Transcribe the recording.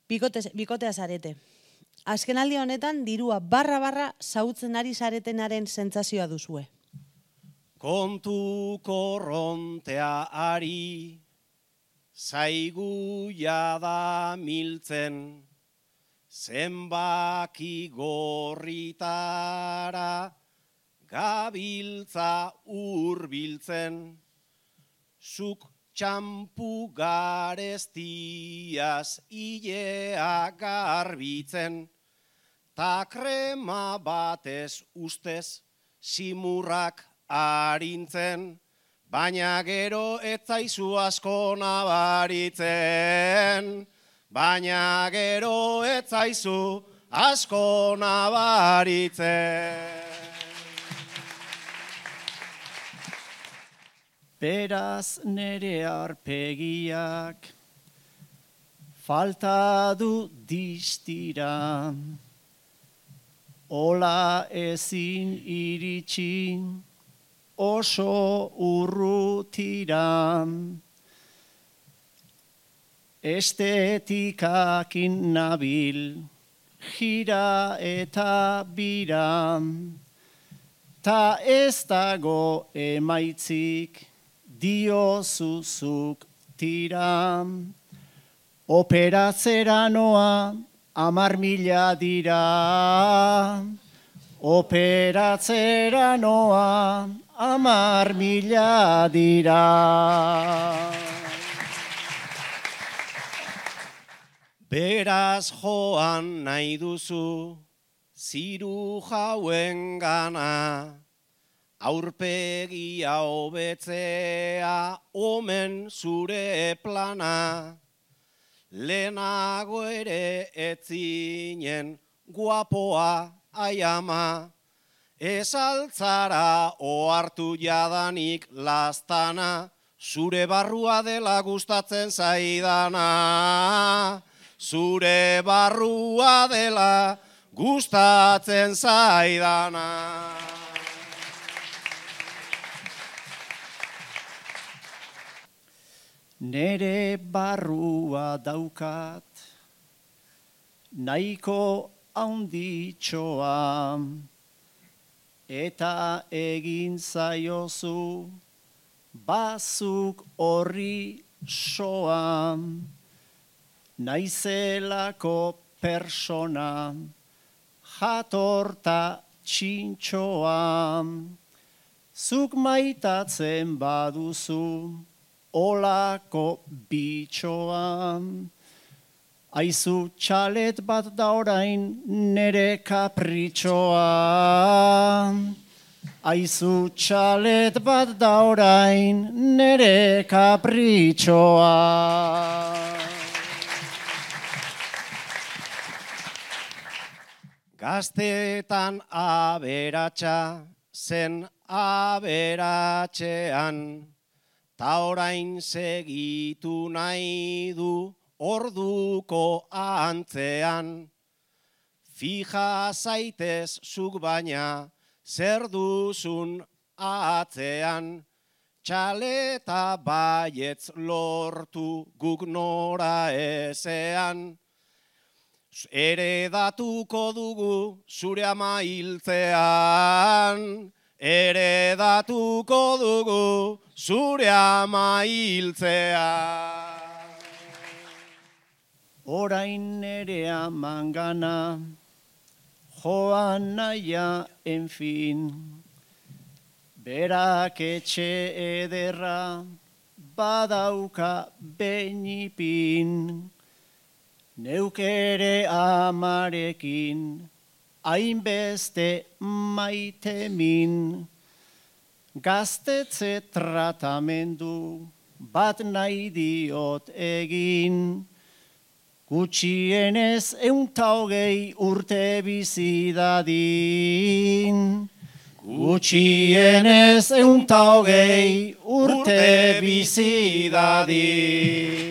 Bikotea zarete. Azkenaldi honetan dirua barra zautzen ari zaretenaren sentsazioa duzue. Kontu korrontea ari, zaigu jada miltzen, zenbaki gorritara, gabiltza urbiltzen, zuk txampu garestiaz ilea garbitzen, ta krema batez ustez simurrak arintzen, baina gero etzaizu asko nabaritzen, baina gero etzaizu asko nabaritzen. Beraz nere arpegiak falta du distira, ola ezin iritsi oso urrutira, estetikakin nabil jira eta bira, ta ez dago emaitzik diozuzuk tira, operatzera noa 10.000 dira, operatzera noa 10.000 dira. Beraz joan nahi duzu ziru jauen gana, aurpegia hobetzea omen zure plana, lehenago ere etzinen guapoa aiama, ez altzara ohartu jadanik lastana, zure barrua dela gustatzen zaidana, zure barrua dela gustatzen zaidana. Nere barrua daukat, nahiko handitxoa, eta egin zaiozu bazuk horri soa, naizelako persona, jatorta txintxoa, zuk maitatzen baduzu, olako bitxoa, aizu txalet bat da orain nere kapritxoa, aizu txalet bat da orain nere kapritxoa. Gaztetan aberatsa zen aberatxean, ta orain segitu nahi du orduko antzean. Fija zaitez zuk baina zer duzun atzean, txaleta baietz lortu guk nora ezean. Eredatuko dugu zure ama hiltzean, eredatuko dugu zure ama hiltzean. Orain nere amangana, joan naia, enfin, berak etxe ederra badauka beñipin, neuk ere amarekin hainbeste maitemin, gaztetze tratamendu bat nahi diot egin, gutxienez 120 urte bizi dadin. Gutxienez 120 urte bizi dadin.